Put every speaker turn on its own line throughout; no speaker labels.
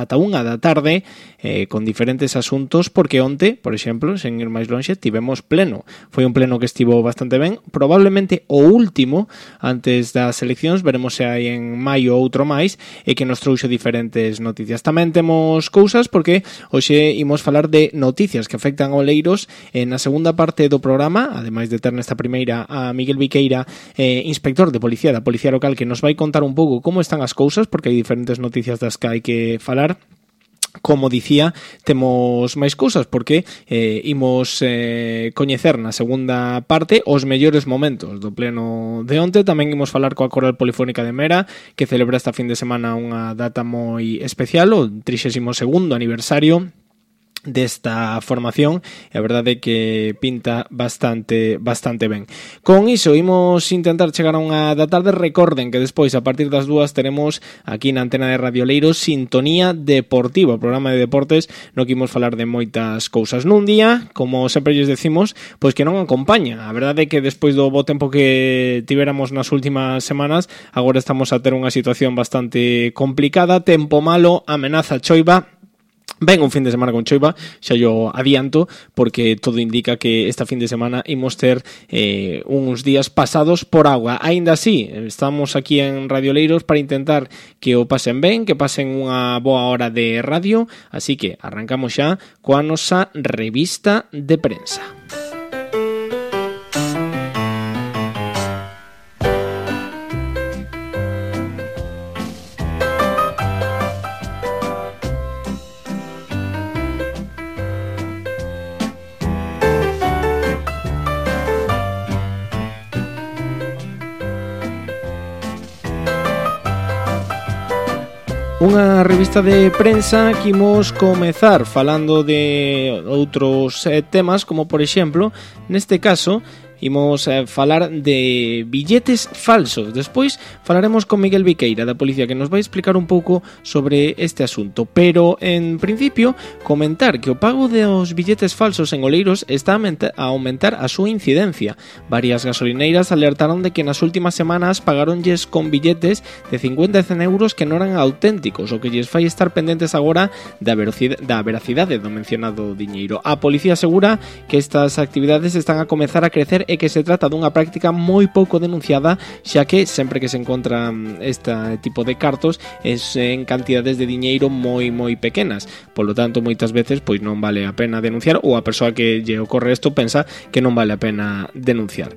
ata 1 da tarde con diferentes asuntos, porque onte, por exemplo, sen ir máis lonxe, tivemos pleno. Foi un pleno que estivo bastante ben, probablemente o último antes das eleccións, veremos se hai en maio outro máis, e que nos trouxe diferentes noticias. Tamén temos cousas porque hoxe imos falar de noticias que afectan a Oleiros. Na segunda parte do programa, ademais de ter nesta primeira a Miguel Viqueira, inspector de policía da Policía Local, que nos vai contar un pouco como están as cousas, porque hai diferentes noticias das que hai que falar. Como dicía, temos máis cousas porque imos coñecer na segunda parte os mellores momentos do pleno de onte. Tamén imos falar coa Coral Polifónica de Mera, que celebra esta fin de semana unha data moi especial, o 32º aniversario desta formación, e a verdade é que pinta bastante ben. Con iso, imos intentar chegar a unha da tarde. Recorden que despois, a partir das 2, teremos aquí na antena de Radio Oleiros Sintonía Deportiva, o programa de deportes no que imos falar de moitas cousas nun día, como sempre lles decimos, pois que non acompaña. A verdade é que despois do bo tempo que tiveramos nas últimas semanas, agora estamos a ter unha situación bastante complicada, tempo malo, amenaza choiva. Ben un fin de semana con choiva, xa yo adianto, porque todo indica que esta fin de semana imos ter uns días pasados por agua. Aínda así, estamos aquí en Radio Oleiros para intentar que o pasen ben, que pasen unha boa hora de radio, así que arrancamos xa coa nosa revista de prensa. Unha revista de prensa que imos comezar falando de outros temas, como por exemplo, neste caso, imos falar de billetes falsos. Despois falaremos con Miguel Viqueira da Policía, que nos vai explicar un pouco sobre este asunto. Pero, en principio, comentar que o pago dos billetes falsos en Oleiros está a aumentar a súa incidencia. Varias gasolineiras alertaron de que nas últimas semanas pagaronlles con billetes de 50 e 100 euros que non eran auténticos, o que lles fai estar pendentes agora da veracidade do mencionado diñeiro. A Policía asegura que estas actividades están a comezar a crecer e que se trata dunha práctica moi pouco denunciada, xa que sempre que se encontran este tipo de cartos es en cantidades de diñeiro moi pequenas. Polo tanto, moitas veces pois non vale a pena denunciar, ou a persoa que lle ocorre isto pensa que non vale a pena denunciar.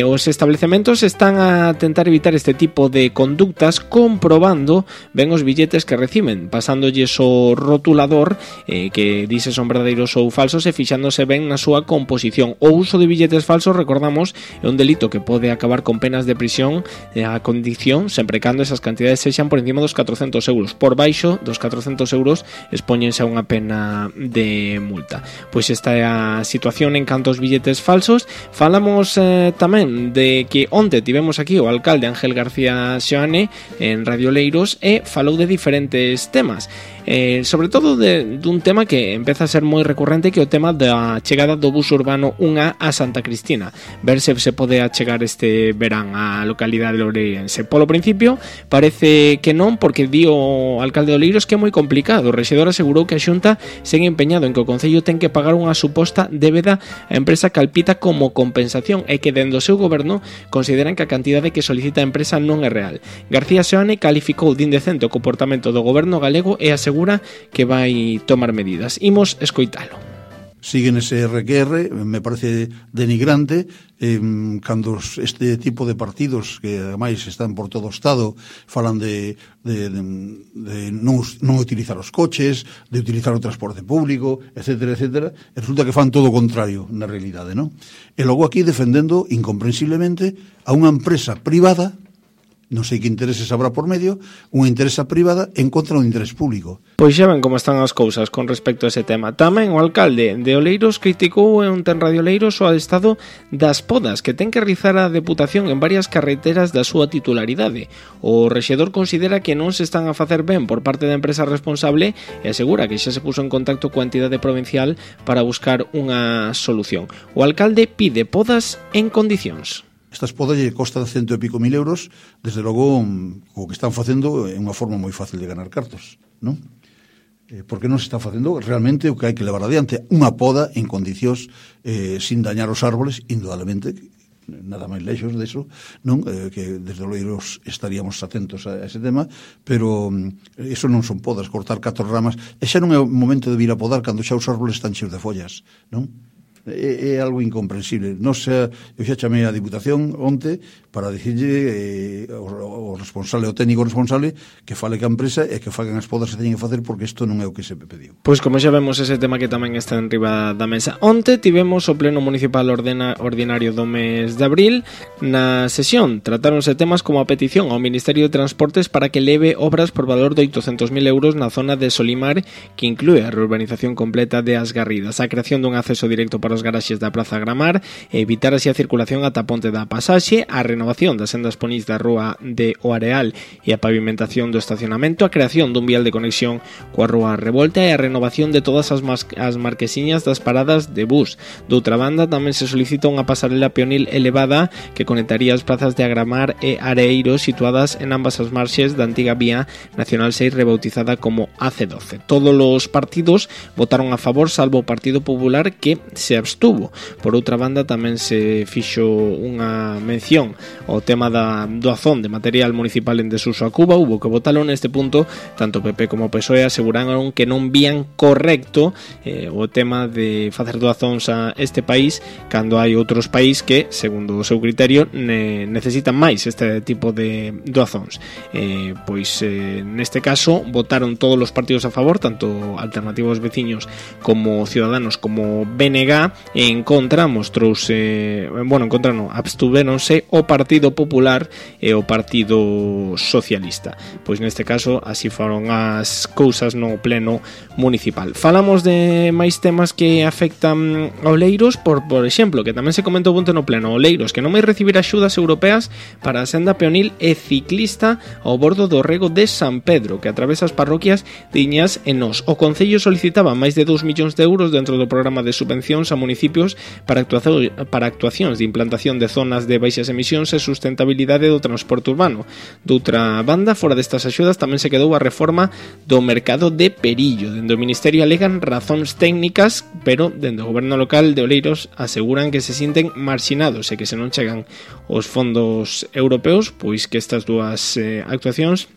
Os establecementos están a tentar evitar este tipo de conductas comprobando ben os billetes que reciben, pasándolles o rotulador que dice son verdadeiros ou falsos e fixándose ben na súa composición. O uso de billetes falsos, recordamos, é un delito que pode acabar con penas de prisión a condición, sempre cando esas cantidades sexan por encima dos 400 euros. Por baixo dos 400 euros expóñense a unha pena de multa. Pois esta é a situación en canto aos billetes falsos. Falamos tamén de que onte tivemos aquí o alcalde Ángel García Seoane en Radio Oleiros e falou de diferentes temas. Sobre todo dun tema que empeza a ser moi recurrente, que é o tema da chegada do bus urbano 1A a Santa Cristina. Ver se pode achegar este verán á localidade loureirense. Polo principio parece que non, porque di o alcalde de Oleiros que é moi complicado. O rexedor asegurou que a Xunta segue empeñado en que o Concello ten que pagar unha suposta débeda á empresa Calpita como compensación, e que dende o seu goberno consideran que a cantidade que solicita a empresa non é real. García Seoane calificou de indecente o comportamento do goberno galego e asegura que vai tomar medidas. Imos escoitalo.
Siguen ese RQR, me parece denigrante, cando este tipo de partidos que ademais están por todo o Estado falan de non utilizar os coches, de utilizar o transporte público, etcétera, etcétera, e resulta que fan todo o contrario na realidade, non? E logo aquí defendendo incomprensiblemente a unha empresa privada, non sei que intereses habrá por medio, unha interesa privada en contra do interés público.
Pois xa ven como están as cousas con respecto a ese tema. Tamén o alcalde de Oleiros criticou en Radio Oleiros o estado das podas que ten que realizar a Deputación en varias carreteras da súa titularidade. O rexedor considera que non se están a facer ben por parte da empresa responsable e asegura que xa se puso en contacto coa entidade provincial para buscar unha solución. O alcalde pide podas en condicións.
Estas podas lle costan 100 e pico mil euros, desde logo o que están facendo é unha forma moi fácil de ganar cartos, non? porque non se está facendo realmente o que hai que levar adiante, unha poda en condicións sin dañar os árboles, indudablemente, nada máis lexos deso, non? Que desde Oleiros estaríamos atentos a ese tema, pero eso non son podas, cortar 4 ramas, e xa non é o momento de vir a podar cando xa os árboles están cheos de follas, non? É algo incomprensible. Non sei, eu xa chamei a Diputación onte para dicirlle o responsable, o técnico responsable, que fale ca empresa e que fagan as podas que teñen que facer, porque isto non é o que se pediu.
Pois como xa vemos, ese tema que tamén está en riba da mesa. Onte tivemos o Pleno Municipal Ordinario do mes de abril. Na sesión tratáronse temas como a petición ao Ministerio de Transportes para que leve obras por valor de 800.000 euros na zona de Solimar, que inclúe a reurbanización completa de As Garridas, a creación dun acceso directo para os garaxes da Praza Gramar e evitar así a circulación ata Ponte da Pasaxe, a renovación das sendas ponís da Rúa de O Areal e a pavimentación do estacionamento, a creación dun vial de conexión coa Rúa Revolta e a renovación de todas as marquesiñas das paradas de bus. Doutra banda, tamén se solicita unha pasarela peonil elevada que conectaría as plazas de Agramar e Areeiro, situadas en ambas as marxes da antiga vía Nacional 6 rebautizada como AC12. Todos os partidos votaron a favor, salvo o Partido Popular, que se abstuvo. Por outra banda, tamén se fixo unha mención ao tema da doazón de material municipal en desuso a Cuba. Hubo que votalo neste punto. Tanto PP como PSOE aseguraron que non vían correcto o tema de facer doazóns a este país, cando hai outros países que, segundo o seu criterio, necesitan máis este tipo de doazóns. Neste caso votaron todos os partidos a favor, tanto Alternativos Veciños como Ciudadanos como BNG. En contra abstúveronse o Partido Popular e o Partido Socialista. Pois neste caso así foron as cousas no Pleno Municipal. Falamos de máis temas que afectan a Oleiros, por exemplo, que tamén se comentou punto no Pleno. Oleiros, que non vai recibir axudas europeas para a senda peonil e ciclista ao bordo do rego de San Pedro, que atravesa as parroquias de Iñas e Nos. O Concello solicitaba máis de 2 millóns de euros dentro do programa de subvencións a municipios para actuacións de implantación de zonas de baixas emisións e sustentabilidade do transporte urbano. Doutra banda, fora destas axudas tamén se quedou a reforma do mercado de Perillo. Dende o Ministerio alegan razóns técnicas, pero dende o goberno local de Oleiros aseguran que se sinten marxinados e que se non chegan os fondos europeos, pois que estas dúas actuacións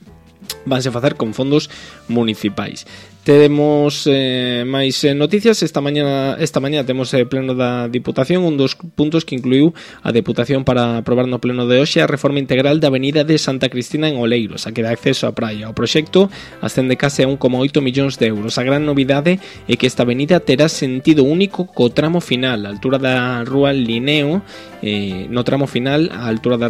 vanse facer con fondos municipais. Temos máis noticias. Esta mañá temos pleno da Diputación, un dos puntos que incluiu a Deputación para aprobar no pleno de hoxe a reforma integral da avenida de Santa Cristina en Oleiros, a que dá acceso á praia. O proxecto ascende case a 1,8 millóns de euros. A gran novidade é que esta avenida terá sentido único co tramo final, a altura da Rúa Linneo, no tramo final, a altura da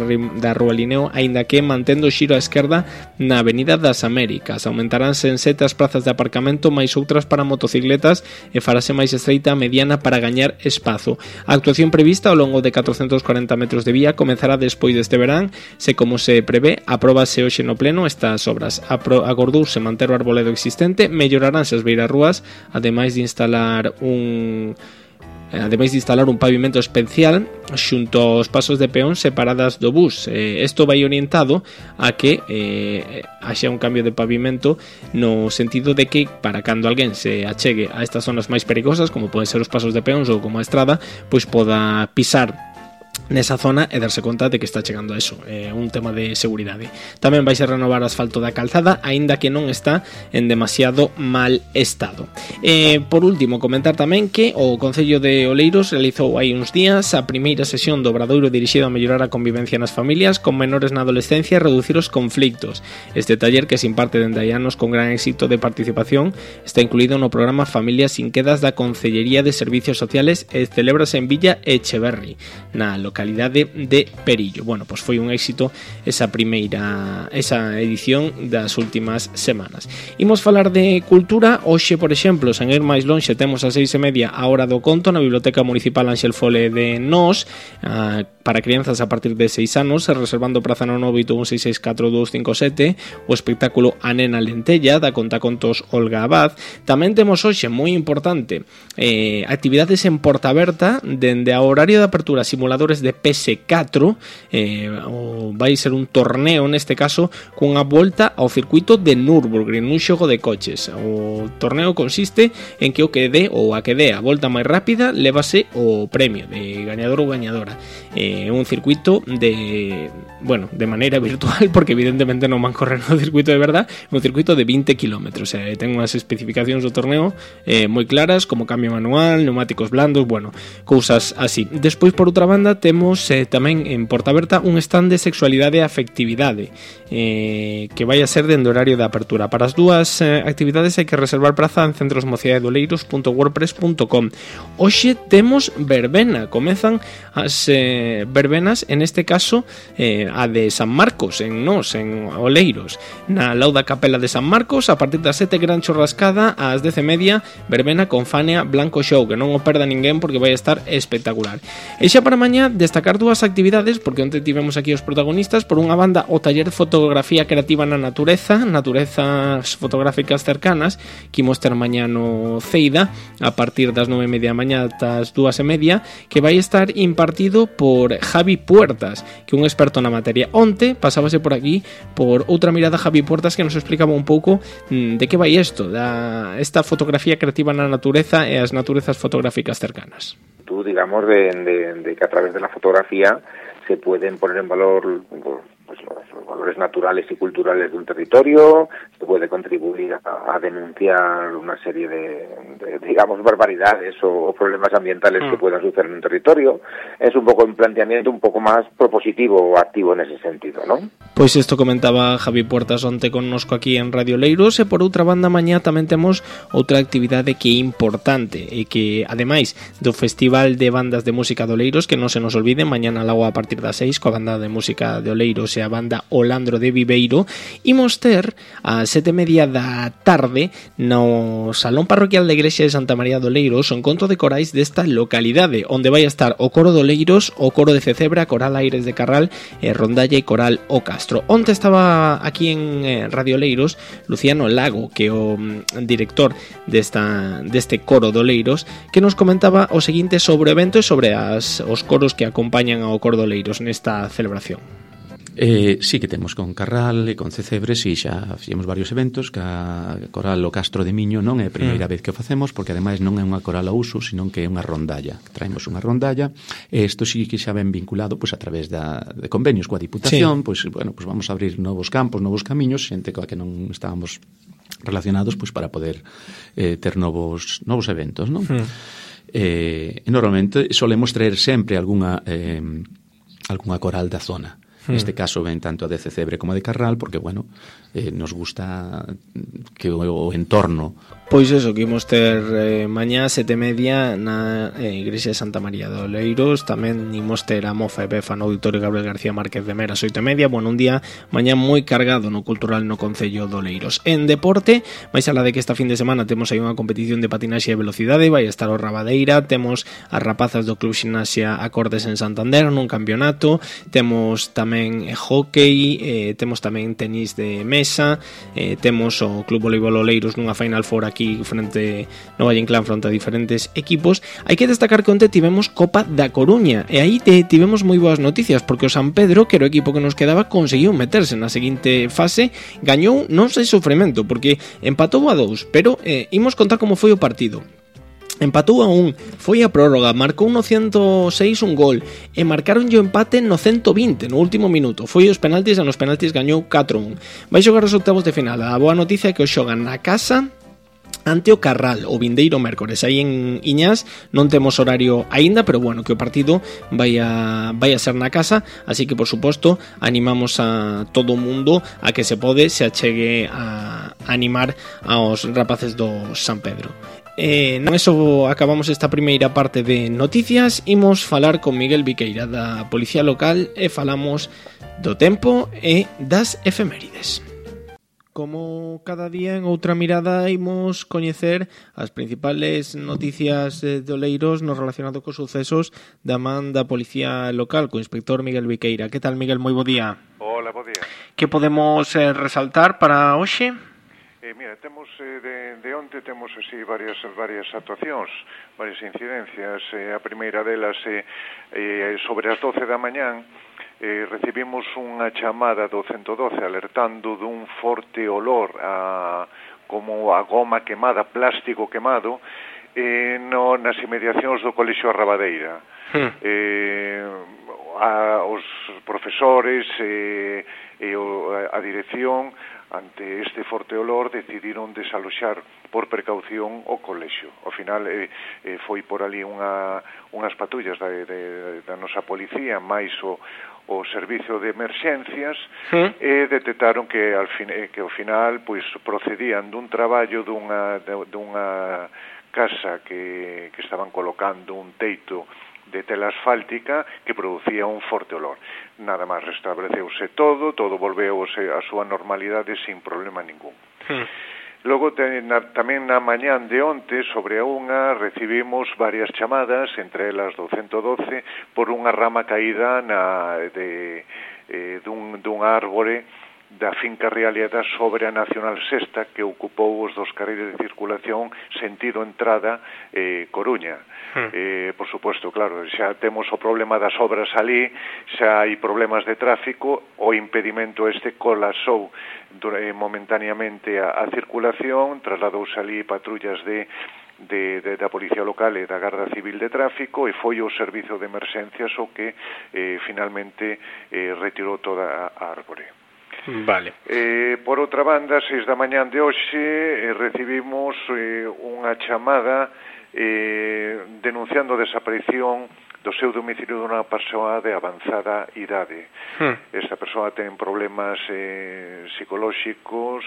Rúa Linneo, aínda que mantendo o xiro á esquerda na Avenida das Américas. Aumentaránse en 7 as plazas de aparcamento, máis outras para motocicletas, e farase máis estreita a mediana para gañar espazo. A actuación prevista ao longo de 440 metros de vía comezará despois deste verán, se como se prevé, apróbase hoxe no pleno estas obras. Acordouse manter o arboledo existente, melloraránse as beirarrúas, ademais de instalar un pavimento especial xunto aos pasos de peón separadas do bus. Isto vai orientado a que haxa un cambio de pavimento, no sentido de que para cando alguén se achegue a estas zonas máis perigosas, como poden ser os pasos de peóns ou como a estrada, pois poda pisar nesa zona e darse conta de que está chegando a eso, un tema de seguridade. Tamén vai ser renovar o asfalto da calzada, aínda que non está en demasiado mal estado. Por último, comentar tamén que o Concello de Oleiros realizou hai uns días a primeira sesión do obradoiro dirixido a mellorar a convivencia nas familias con menores na adolescencia e reducir os conflictos. Este taller, que se imparte dende hai anos con gran éxito de participación, está incluído no programa Familias sin Quedas da Concellería de Servicios Sociales e celébrase en Villa Echeverri, na localidade de Perillo. Bueno, pois foi un éxito esa edición das últimas semanas. Imos falar de cultura. Hoxe, por exemplo, sen ir máis lonxe, temos a 6:30 a Hora do Conto na Biblioteca Municipal Ángel Fole de Nos, para crianzas a partir de 6 anos, reservando praza no 981664257, o espectáculo A Nena Lentella, da contacontos Olga Abad. Tamén temos hoxe, moi importante, actividades en Porta Aberta, dende a horario de apertura, simuladores de PS4, vai ser un torneo neste caso cunha volta ao circuito de Nürburgring, un xogo de coches. O torneo consiste en que o que dé ou a que dé a volta máis rápida levase o premio de gañador ou gañadora. Un circuito de maneira virtual, porque evidentemente non van correr no circuito de verdad, un circuito de 20 km. Ten unhas especificacións do torneo moi claras, como cambio manual, neumáticos blandos, cousas así. Despois, por outra banda, temos tamén en Portaberta un stand de sexualidade e afectividade, que vai a ser dende horario de apertura. Para as dúas actividades hai que reservar praza en centrosmociadedoleiros.wordpress.com. Hoxe temos verbena, comezan as verbenas, en este caso a de San Marcos, en Oleiros, na Lauda Capela de San Marcos, a partir das 7 gran churrascada, ás 10:30, verbena con Fania Blanco Show, que non o perda ninguén porque vai estar espectacular. E xa para mañá destacar dúas actividades, porque onte tivemos aquí os protagonistas. Por unha banda, o taller de fotografía creativa na naturezas fotográficas cercanas, que imos ter mañá no Ceida, a partir das 9:30 da mañá ata as 2:30, que vai estar impartido por Javi Puertas, que é un experto na materia. Onte pasábase por aquí, por outra mirada, Javi Puertas, que nos explicaba un pouco de que vai isto, esta fotografía creativa na natureza e as naturezas fotográficas cercanas.
Tú, digamos, de que a través de la fotografía se pueden poner en valor pues los valores naturales y culturales de un territorio, se puede contribuir a denunciar una serie de digamos, barbaridades o problemas ambientales que puedan suceder en un territorio. Es un poco un planteamiento un poco más propositivo o activo en ese sentido, ¿no?
Pois isto comentaba Javi Puertas onte connosco aquí en Radio Leiros. E por outra banda, mañá tamén temos outra actividade que é importante e que, ademais do Festival de Bandas de Música de Oleiros, que non se nos olvide, mañá na Lagoa a partir das 6 coa banda de música de Oleiros e a banda Olandro de Viveiro, imos ter a 7:30 da tarde no Salón Parroquial da Igrexa de Santa María de Oleiros o encontro de corais desta localidade, onde vai a estar o Coro de Oleiros, o Coro de Cecebra, Coral Aires de Carral, Rondalla e Coral O Castro. Onte estaba aquí en Radio Oleiros Luciano Lago, que é o director deste Coro de Oleiros, que nos comentaba o seguinte sobre o evento e sobre os coros que acompañan ao Coro de Oleiros nesta celebración.
Sí que temos con Carral e con Cecebre, sí, xa fixemos varios eventos, que a Coral O Castro de Miño non é a primeira vez que o facemos, porque ademais non é unha coral a uso, senón que é unha rondalla. Traemos unha rondalla, e isto sí que xa ben vinculado a través de convenios coa Diputación,
sí.
Vamos a abrir novos campos, novos camiños, xente coa que non estábamos relacionados, para poder ter novos eventos, non? E normalmente solemos traer sempre algunha coral da zona. Neste caso ven tanto a de Cecebre como a de Carral, porque, nos gusta que o entorno...
Pois eso, que imos ter mañá 7:30 na Igrexa de Santa María de Oleiros. Tamén imos ter a Mofa e Befa no Auditorio Gabriel García Márquez de Meras 8:30. Un día mañá moi cargado no cultural no Concello de Oleiros. En deporte, máis alá de que esta fin de semana temos aí unha competición de patinaxe e velocidade, vai estar o Rabadeira, temos as rapazas do Club Ximnasia Acordes en Santander nun campeonato, temos tamén hockey, temos tamén tenis de mesa, temos o Club Voleibol Oleiros nunha Final Four aquí frente no Valle Inclán fronte a diferentes equipos. Hai que destacar que onte tivemos Copa da Coruña e aí tivemos moi boas noticias, porque o San Pedro, que era o equipo que nos quedaba, conseguiu meterse na seguinte fase, gañou non sei sofrimento, porque empatou a 2, pero imos contar como foi o partido. Empatou a 1, foi a prórroga, marcou no 106 un gol e marcaron o empate no 120 no último minuto. Foi os penaltis e nos penaltis gañou 4-1. Vai xogar os octavos de final. A boa noticia é que o xogan na casa ante o Carral o vindeiro mércores aí en Iñás. Non temos horario aínda, pero que o partido vai a ser na casa, así que por suposto animamos a todo o mundo a que se se achegue a animar aos rapaces do San Pedro. Non eso acabamos esta primeira parte de noticias. Imos falar con Miguel Viqueira da Policía Local e falamos do tempo e das efemérides. Como cada día en outra mirada imos coñecer as principales noticias de Oleiros no relacionado cos sucesos da man da Policía Local, co inspector Miguel Viqueira. Que tal, Miguel? Moi bo día.
Hola, bo día.
Que podemos resaltar para hoxe?
Mira, temos de onte temos así varias actuacións, varias incidencias. A primeira delas sobre as 12 da mañán recibimos unha chamada do 112 alertando dun forte olor como a goma quemada, plástico quemado, nas inmediacións do Colexio Arrabadeira. Os profesores e a dirección, ante este forte olor, decidiron desaloxar por precaución o colexio. Ao final foi por ali unhas patrullas da nosa policía máis o servicio de emerxencias e detectaron que ao final pois procedían dun traballo dunha casa que estaban colocando un teito de tela asfáltica que producía un forte olor. Nada máis restableceuse todo volveu a súa normalidade sin problema ningún. Logo, tamén na mañán de onte, sobre a unha, recibimos varias chamadas, entre elas do 112, por unha rama caída dun árbore da finca Rialeda sobre a Nacional Sexta, que ocupou os dos carreiros de circulación sentido entrada Coruña. Por suposto, claro, xa temos o problema das obras ali, xa hai problemas de tráfico, o impedimento colapsou momentáneamente a circulación, trasladouse ali patrullas da Policía Local e da Garda Civil de Tráfico e foi o servizo de emerxencias o que finalmente retirou toda a árbore.
Vale.
Por outra banda, 6 da mañán de hoxe recibimos unha chamada denunciando a desaparición do seu domicilio dunha persoa de avanzada idade. Esta persoa ten problemas psicolóxicos,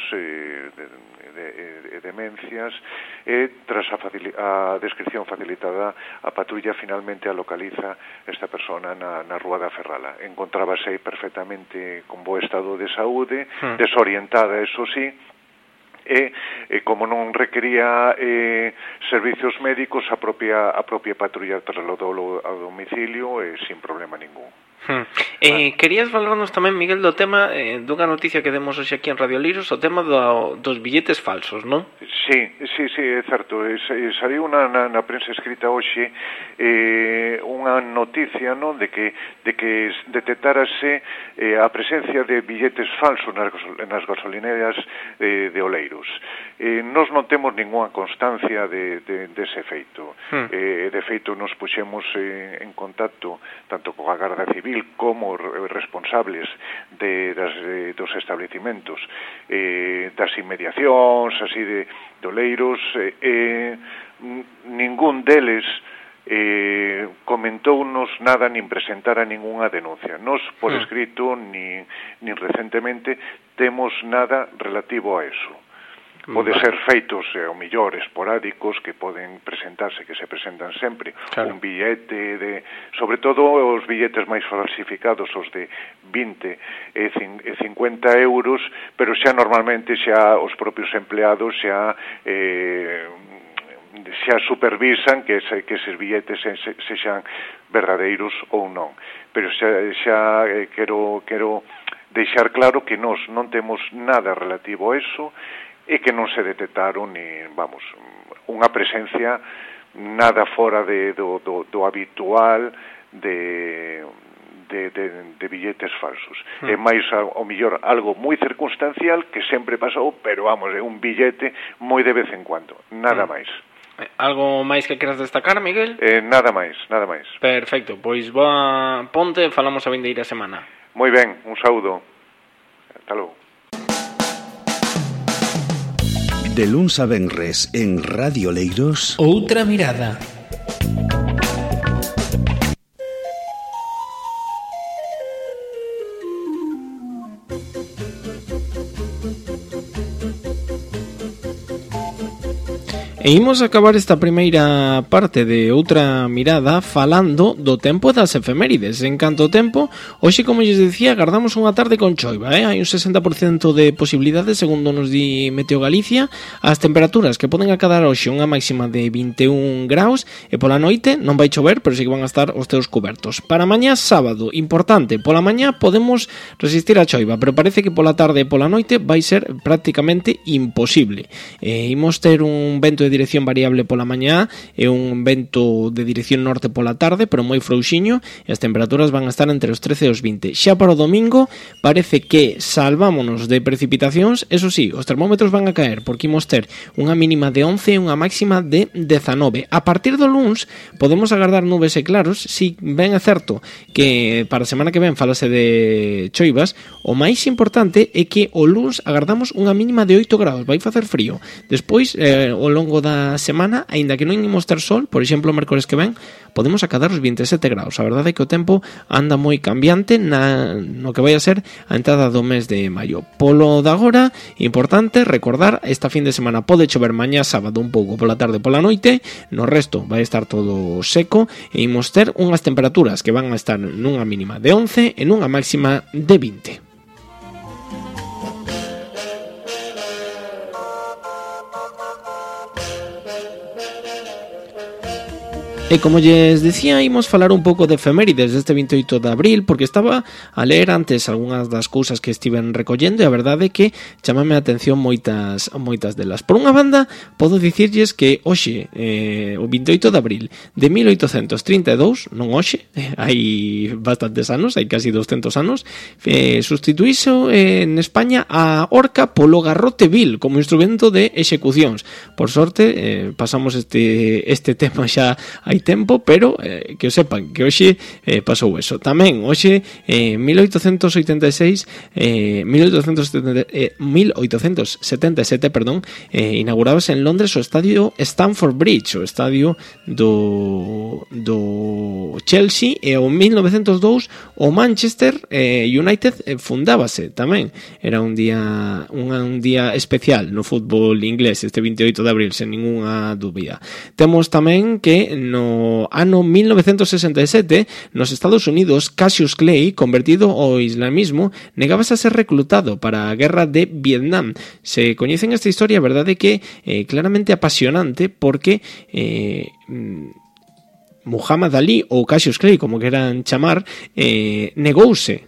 demencias, e tras a descripción facilitada, a patrulla finalmente a localiza esta persona na Rúa da Ferrala. Encontrábase aí perfectamente con bo estado de saúde, desorientada, eso sí, e como non requería servicios médicos, a propia patrulla trasladou ao domicilio sin problema ningún.
Querías falarnos tamén, Miguel, do tema dunha noticia que demos hoxe aquí en Radio Liros, o tema dos billetes falsos, non?
Sí, é certo. Saliu na prensa escrita hoxe unha noticia, non, de que detectárase a presencia de billetes falsos nas gasolineras de Oleiros. Nós non temos ninguna constancia dese feito. De feito, nos puxemos en contacto tanto coa Garda Civil como responsables dos establecimentos das inmediacións así de Oleiros, ningún deles comentounos nada nin presentara ningunha denuncia. Nos por escrito nin recentemente temos nada relativo a eso. Pode ser feitos, ao millor, esporádicos, que poden presentarse, que se presentan sempre. Claro. Un billete sobre todo os billetes máis falsificados, os de 20 e 50 euros, pero xa normalmente xa os propios empleados xa supervisan que eses billetes sexan verdadeiros ou non. Pero xa quero deixar claro que nós non temos nada relativo a eso, e que non se detectaron unha presencia nada fora do habitual de billetes falsos. É máis, ao mellor, algo moi circunstancial que sempre pasou, pero é un billete moi de vez en cuando, nada máis.
Algo máis que queras destacar, Miguel?
Nada máis.
Perfecto, pois ponte e falamos a vindeira semana.
Moi ben, un saúdo. Hasta logo.
De luns a venres en Radio Leiros,
Outra Mirada. E imos acabar esta primeira parte de outra mirada falando do tempo das efemérides. En canto ao tempo, hoxe, como lles dicía, agardamos unha tarde con choiva, hai un 60% de posibilidades, segundo nos di Meteo Galicia. As temperaturas que poden acadar hoxe unha máxima de 21 graus e pola noite non vai chover, pero sí que van a estar os teus cubertos. Para mañá sábado, importante, pola mañá podemos resistir a choiva, pero parece que pola tarde e pola noite vai ser prácticamente imposible. Imos ter un vento de dirección variable pola mañá e un vento de dirección norte pola tarde, pero moi frouxiño, e as temperaturas van a estar entre os 13 e os 20. Xa para o domingo parece que salvámonos de precipitacións, eso sí, os termómetros van a caer, porque imos ter unha mínima de 11 e unha máxima de 19. A partir do luns podemos agardar nubes e claros, si ben é certo que para a semana que ven falase de choivas, o máis importante é que o luns agardamos unha mínima de 8 graus, vai facer frío. Despois, ao longo da semana, aínda que non imos ter sol, por exemplo, o mércores que ven, podemos acadar os 27 graus. A verdade é que o tempo anda moi cambiante no que vai a ser a entrada do mes de maio. Polo de agora, importante recordar, esta fin de semana pode chover mañá sábado un pouco pola tarde e pola noite, no resto vai estar todo seco e imos ter unhas temperaturas que van a estar nunha mínima de 11 e nunha máxima de 20. E como lles dicía, imos falar un pouco de efemérides deste 28 de abril, porque estaba a ler antes algunhas das cousas que estiven recollendo e a verdade é que chamame a atención moitas delas. Por unha banda, podo dicirlles que hoxe, o 28 de abril de 1832, non hoxe, hai bastantes anos, hai casi 200 anos, sustituíso en España a horca polo garrote vil como instrumento de execucións. Por sorte, pasamos este tema xa hai tempo, pero que o sepan que hoxe pasou eso. Tamén hoxe 1877, inaugurábase en Londres o estadio Stamford Bridge, o estadio do Chelsea, e o 1902 o Manchester United fundábase tamén. Era un día especial no fútbol inglés este 28 de abril, sen ninguna dúbida. Temos tamén que no ano 1967 nos Estados Unidos, Cassius Clay, convertido ao islamismo, negábase a ser reclutado para a guerra de Vietnam. Se coñecen esta historia, a verdade é que claramente apasionante, porque Muhammad Ali, ou Cassius Clay, como queran chamar, negouse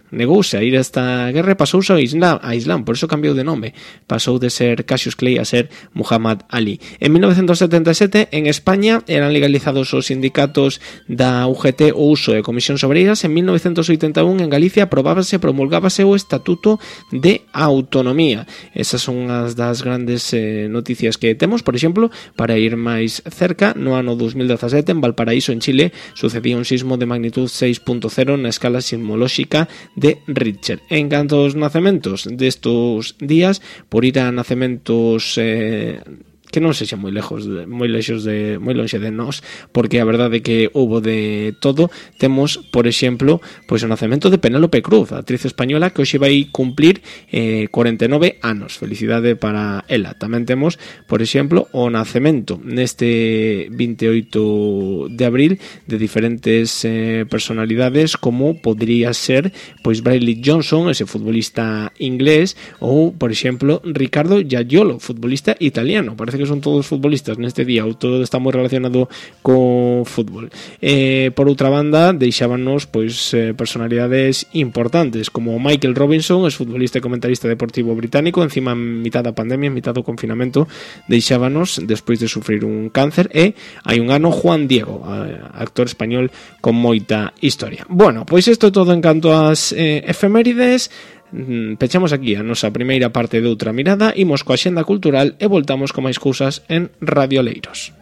a ir a esta guerra e pasouse a Islam, por eso cambiou de nome, pasou de ser Cassius Clay a ser Muhammad Ali. En 1977, en España, eran legalizados os sindicatos da UGT o uso de comisións obreiras. En 1981, en Galicia, promulgábase o Estatuto de Autonomía. Esas son as das grandes noticias que temos. Por exemplo, para ir máis cerca, no ano 2017, en Valparaíso, en Chile, sucedía un sismo de magnitud 6.0 na escala sismolóxica de Richter. En canto aos nacementos destos días, por ir a nacementos que non sexan moi lonxe de nós, porque a verdade é que houbo de todo. Temos, por exemplo, pois o nacemento de Penélope Cruz, a actriz española, que hoxe vai cumplir 49 anos. Felicidade para ela. Tamén temos, por exemplo, o nacemento neste 28 de abril de diferentes personalidades, como podría ser pois Bradley Johnson, ese futbolista inglés, ou, por exemplo, Ricardo Giaiolo, futbolista italiano. Parece que son todos futbolistas neste día, ou todo está moi relacionado co fútbol. Por outra banda, deixábanos pois personalidades importantes como Michael Robinson, es futbolista e comentarista deportivo británico, encima mitad da pandemia, mitad do confinamento, deixábanos despois de sufrir un cáncer. E hai un ano Juan Diego, actor español con moita historia. Bueno, pois isto é todo en canto ás efemérides. Pechamos aquí a nosa primeira parte de outra mirada, imos coa axenda cultural e voltamos con máis cousas en Radio Oleiros.